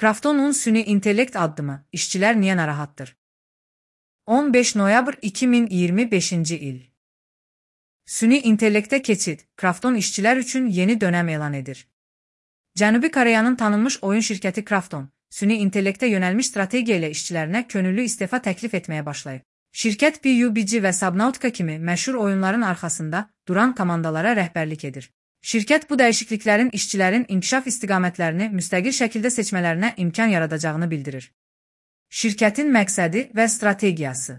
Krafton'un süni intellekt addımı, işçiler niye narahattır? 15 noyabr 2025 il. Süni intellekte keçid, Krafton işçiler üçün yeni dönem elan edir. Cənubi Koreyanın tanınmış oyun şirkəti Krafton, süni intellektə yönəlmiş strategiya ilə işçilərinə könüllü istefa təklif etməyə başlayıb. Şirkət PUBG və Subnautica kimi məşhur oyunların arxasında duran komandalara rəhbərlik edir. Şirkət bu dəyişikliklərin işçilərin inkişaf istiqamətlərini müstəqil şəkildə seçmələrinə imkan yaradacağını bildirir. Şirkətin məqsədi və strategiyası.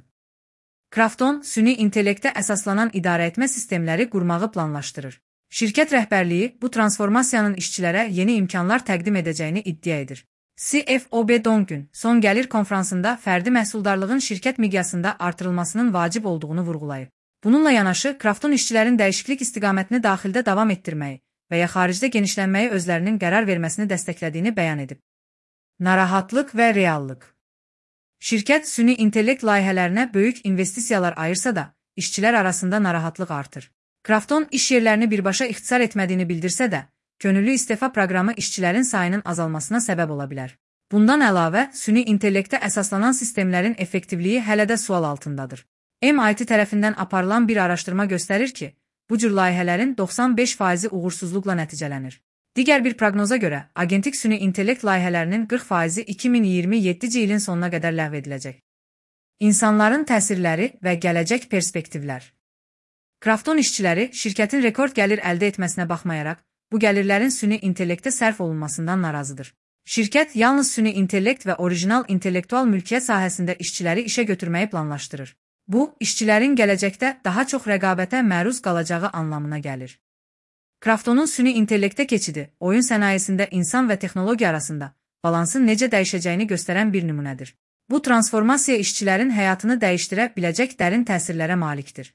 Krafton, süni intellektə əsaslanan idarəetmə sistemləri qurmağı planlaşdırır. Şirkət rəhbərliyi bu transformasiyanın işçilərə yeni imkanlar təqdim edəcəyini iddia edir. CFO Bae Dong-gün son gəlir konfransında fərdi məhsuldarlığın şirkət miqyasında artırılmasının vacib olduğunu vurğulayıb. Bununla yanaşı, Krafton işçilərin dəyişiklik istiqamətini daxildə davam etdirməyi və ya xaricdə genişlənməyi özlərinin qərar verməsini dəstəklədiyini bəyan edib. Narahatlıq və reallıq. Şirkət süni intellekt layihələrinə böyük investisiyalar ayırsa da, işçilər arasında narahatlıq artır. Krafton iş yerlərini birbaşa ixtisar etmədiyini bildirsə də, könüllü istefa proqramı işçilərin sayının azalmasına səbəb ola bilər. Bundan əlavə, süni intellektə əsaslanan sistemlərin effektivliyi hələ də sual altındadır. MIT tərəfindən aparılan bir araşdırma göstərir ki, bu cür layihələrin 95%-i uğursuzluqla nəticələnir. Digər bir proqnoza görə, agentlik süni intellekt layihələrinin 40%-i 2027 ilin sonuna qədər ləğv ediləcək. İnsanların təsirləri və gələcək perspektivlər. Krafton işçiləri şirkətin rekord gəlir əldə etməsinə baxmayaraq, bu gəlirlərin süni intellektə sərf olunmasından narazıdır. Şirkət yalnız süni intellekt və orijinal intellektual mülkiyyət sahəsində işçiləri işə götürməyi planlaşdırır. Bu, işçilərin gələcəkdə daha çox rəqabətə məruz qalacağı anlamına gəlir. Kraftonun süni intellektə keçidi, oyun sənayesində insan və texnologiya arasında balansın necə dəyişəcəyini göstərən bir nümunədir. Bu transformasiya işçilərin həyatını dəyişdirə biləcək dərin təsirlərə malikdir.